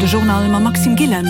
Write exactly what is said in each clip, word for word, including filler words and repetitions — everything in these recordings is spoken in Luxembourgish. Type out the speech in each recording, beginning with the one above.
De Journal mam Maxime Gillen.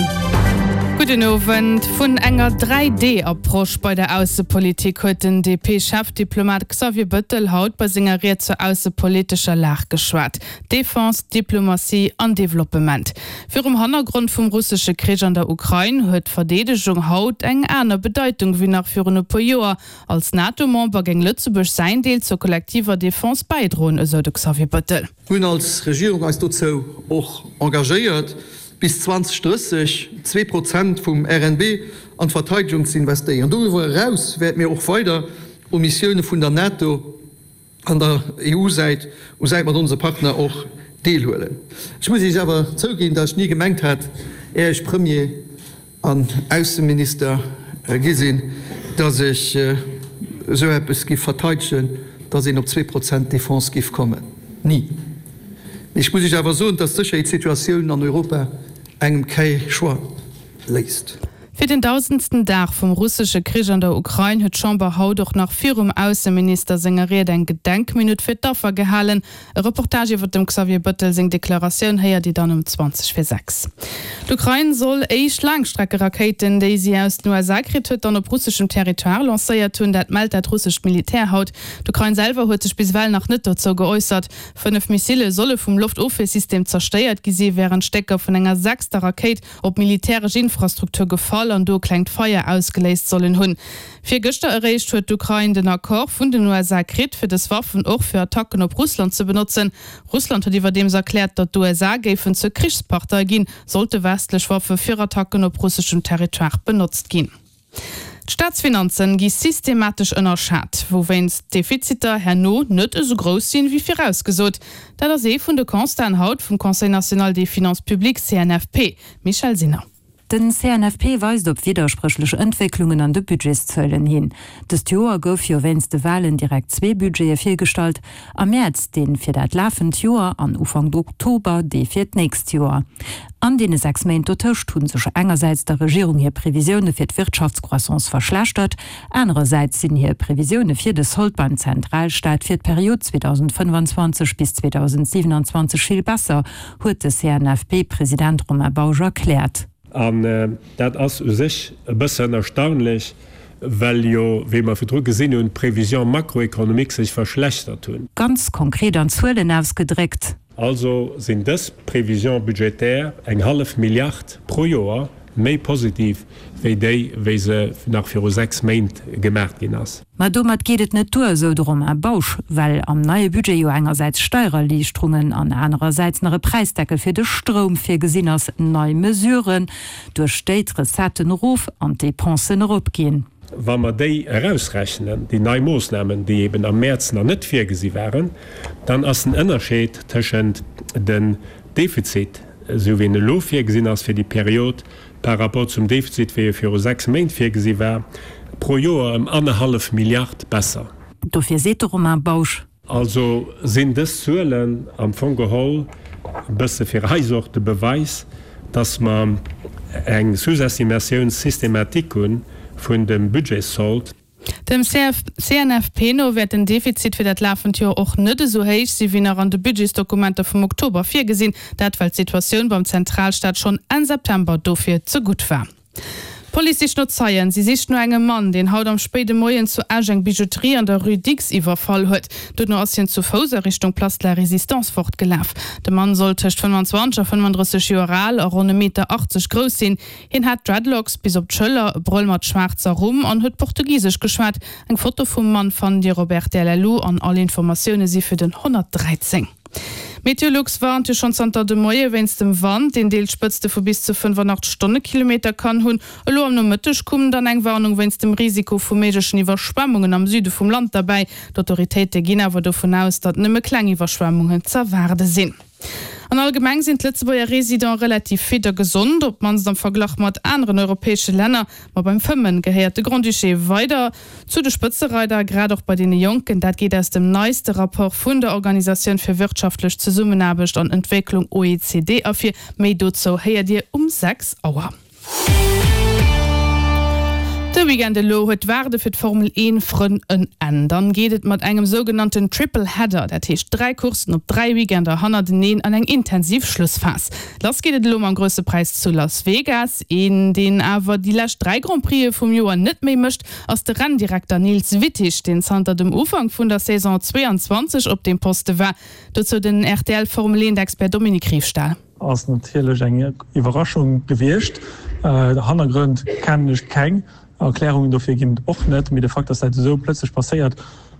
Gudden Owend. Vun enger Dräi-D-Approche bei der Aussepolitik huet den D P-Chefdiplomat Xavier Bëttel haut bei senger Ried zur aussepolitescher Lag geschwat. Defense, Diplomatie an Developpement. Virum Hannergrond vum russesche Krich an der Ukrain huet d'Verdeedegung haut eng aner Bedeitung wéi nach virun e puer Joer. Als NATO-Member géing Lëtzebuerg säin Deel zur kollektiver Defense bäidroen, esou de Xavier Bëttel. Mir hunn als Regierung eis dozou och engagéiert, bis zweedausendrësseg zwee Prozent vum R N B an d'Verteidegung ze investéieren. Doriwwer eraus wäerte mir och weider u Missioune vun der NATO an der E U Säit u Säit mat onse Partner och deelhuelen. Ech muss Iech awer zouginn, datt ech ni gemengt hat, är ech Premier an Ausseminister gi sinn, datt ech esou eppes giff verteidegen, datt een op zwee Prozent Defense giff kommen. Ni. Mee ech muss Iech awer soen, datt d'Sécherheetssituatioun an Europa engem kee Choix léisst. Fir den dausendsten Dag vum russesche Krich an der Ukrain huet d'Chamber haut och nach virum Ausseminister senger Ried eng Gedenkminutt fir d'Affer gehalen. E Reportage iwwer dem Xavier Bëttel seng Deklaratioun héiert Dir dann um zwanzeg vir sechs. D'Ukrain soll éischt Laangstreckerakéiten, déi si aus den U S A kritt huet, dann op russeschem Territoire lancéiert hunn. Dat mellt dat russescht Militär haut. D'Ukrain selwer huet sech bis ewell nach net dozou geäussert. Fënnef Missile solle vum Loftofwiersystem zerstéiert gi sinn, wärend Stécker vun enger sechster Rakéit op militäresch Infrastruktur gefall an do e klengt Feier ausgeléist sollen hunn. Virgëschter eréischt huet d'Ukrain den Accord vun den U S A kritt, fir dës Waffen och fir Attacken op Russland ze benotzen. Russland huet iwwerdeems erkläert, datt d'U S A géifen zur Krichspartei ginn, sollte westlech Waffe fir Attacken op russeschem Territoire benotzt ginn. D'Staatsfinanzen gi systematesch ënnerschat, wouwéinst d'Defiziter herno net esou grouss sinn, wéi virausgesot. Dat ass ee vun de Constaten haut vum Conseil national des finances publiques, C N F P. Michèle Sinner. Den C N F P weist op widderspréchlech Entwécklungen an de Budgetszuelen hin. Dëst Joer gouf jo wéinst de Walen direkt zwee Budgete virgestallt, am Mäerz dee fir dat lafend Joer an Ufank Oktober dee fir d'nächst Joer. An deene sechs Méint dotëscht hu sech engersäits der Regierung hir Previsioune fir d'Wirtschaftscroissance verschlechtert, anerersäits sinn hir Previsioune fir de Sold beim Zentralstaat fir d'Period zweedausendfënnefanzwanzeg bis zweedausendsiwenanzwanzeg vill besser, huet de C N F P-President Romain Bausch erkläert. An dat ass u sech e bëssen erstaunlech, well jo, wéi mer virdru gesinn hunn, d'Prévisions macroéconomiques sech verschlechtert hunn. Ganz konkret an Zuelen ausgedréckt. Also sinn dës Prévisions budgétaires eng hallef Milliard pro Joer méi positiv wéi déi, wéi se nach viru sechs Méint gemaach ginn ass. Ma domat geet et net duer, esou de Romain Bausch, well am neie Budget jo engersäits Steiererliichterungen an anerersäits nach e Präisdeckel fir de Stroum virgesinn ass, nei Mesuren, duerch déi d'Recetten erof an d'Depensen eropginn. Wa mer déi erausrechnen, déi nei Moossnamen, déi eben am Mäerz nach net virgesi waren, dann ass den Ënnerscheed tëschent dem Defizit, esou wéi en elo virgesinn ass fir déi Period, par rapport zum Defizit, wéi e viru sechs Méint virgesi war, pro Joer ëm annerhallef Milliard besser. Dofir seet de Romain Bausch. Also sinn dës Zuelen am Fong geholl e bësse fir eis och de Beweis, dass mer eng Sous-estimatioun systématique hu vun dem Budgetssold. Dem C N F P no wäert den Defizit fir dat lafend Joer och net esou héich si wéi nach an de Budgetsdokumenter vum Oktober virgesinn, dat well d'Situatioun beim Zentralstaat schonn Enn September dofir ze gutt war. D'Police sicht no Zeien. Si sicht no engem Mann, deen haut am spéide Moien zu Esch eng Bijouterie an der Rue Dicks iwwerfall huet. Duerno ass hien zu Fouss a Richtung Place de la Résistance fortgelaf. De Mann soll tëscht fënnfanzwanzeg a fënnefandrësseg Joer al a ronn e Meter achtzeg grouss sinn. Hien hat Dreadlocks bis op d'Schëller, e Brëll mat schwaarzer Rumm an huet Portugisesch geschwat. Eng Foto vum Mann fannt Dir op R T L L U an all Informatioune si fir den honnertdräizéng. Meteolux warnt jo schonn zanter de Moie wéinst dem Wand, deen deels Spëtzte vu bis zu fënnefanachteg Stonnekilometer kann hunn. Elo am Nomëtteg koum dann eng Warnung wéinst dem Risiko vu méiglechen Iwwerschwemmungen am Süde vum Land derbäi. D'Autoritéite ginn awer dovun aus, datt nëmme kleng Iwwerschwemmungen z'erwaarde sinn. An allgemeng sinn d'Lëtzebuerger Residente relativ fit a gesond, op d'mannst am Verglach mat aneren europäesche Länner. Ma beim Fëmmen gehéiert de Grand-Duché weider zu de Spëtzereider, grad och bei deene Jonken. Dat geet aus dem neiste Rapport vun der Organisatioun fir wirtschaftlech Zesummenaarbecht an Entwécklung O E C D ervir. Méi dozou héiert Dir um sechs Auer. De Weekend elo huet d'Waarde fir d'Formel een Frënn en Enn. Dann geet et mat engem sougenannten Triple Header, dat heescht dräi Courssen op dräi Weekender hannerteneen, an eng intensiv Schlussphas. Lass geet et elo mam Grousse Präis zu Las Vegas. Een, deen awer déi lescht dräi Grand Prixë vum Joer net méi mécht, ass de Renndirekter Niels Wittich, deen zanter dem Ufank vun der Saison zwee an zwanzeg op deem Poste war. Dozou den R T L Formel eent Expert Dominique Riefstahl. Ass natierlech eng Iwwerraschung gewiescht. Hannergrënn kennen ech keng. Erklärungen dofir ginn et och net, mee de Fakt, dass dat esou plötzlech passéiert,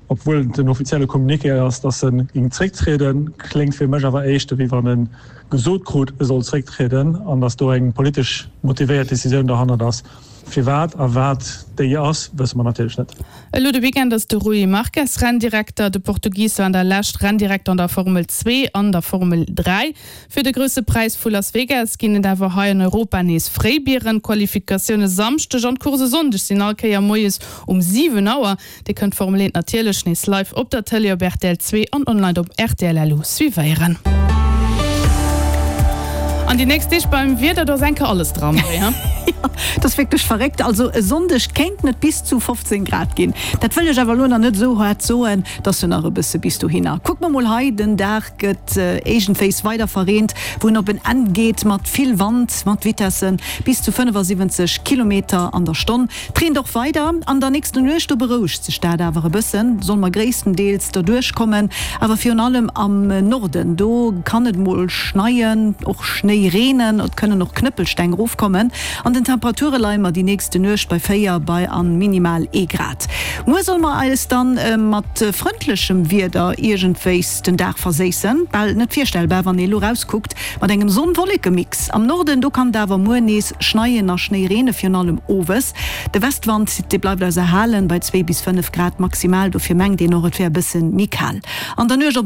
obwuel den offizielle Communiqué ass, dass en géing zrécktrieden, kléngt fir mech awer éischter wéi wann e gesot krut, e soll zrécktrieden an dass do eng politesch motivéiert Decisioun derhannert ass. Firwat a wat déi ass, wësse mer natierlech net. Elo de Weekend ass de Rui Marques Renndirekter. De Portugis war an der Lescht Renndirekter an der Formel zwee an der Formel dräi. Fir de Grousse Präis vu Las Vegas ginn et awer hei an Europa nees fréi Bieren. D'Qualifikatioune Samschdeg an d'Course e Sonndeg sinn all Kéier moies um siwen Auer. Dir kënnt d'Formel eent natierlech nees live op der Tëlee op R T L zwee an online op R T L L U suivéieren. An déi nächst Deeg beim Wieder, do ass enke alles dran, Marie, ha? Dat ass wierklech verréckt. Also e Sonndeg kéinten et bis zu fofzéng Grad ginn. Dat wëll ech awer elo nach net esou haart soen, dat ass jo nach e bësse bis dohinner. Kucke mer mol hei, den Dag gëtt iergendwéis weider verreent, wou en op en Enn geet mat vill Wand, mat Vitessen bis zu fënnefasiwwenzeg Kilometer an der Stonn. Et reent och weider. An der nächster Nuecht, do berouegt sech dat awer e bëssen, solle mer gréisstendeels derduerch kommen. Awer virun allem am Norden, do kann et mol schneien, och Schnéi reenen, et kënnen och Knëppelsteng erofkommen. An den Temperature leie mer déi nächste Nuecht bei véier bei an minimal ee Grad. Muer solle mer eis dann mat frëndlechem Wieder iergendwéis den Dag verséissen, bal net virstellbar wann ee elo rauskuckt, mat engem Sonn-Wolleke-Mix. Am Norden, do kann et awer muer nees schneien a Schnéi reene, virun allem owes. De Westwand, dee bleift eis erhalen bei zwee bis fënnef Grad maximal, dofir mengt een och et wär e bësse méi kal an der Nuecht op.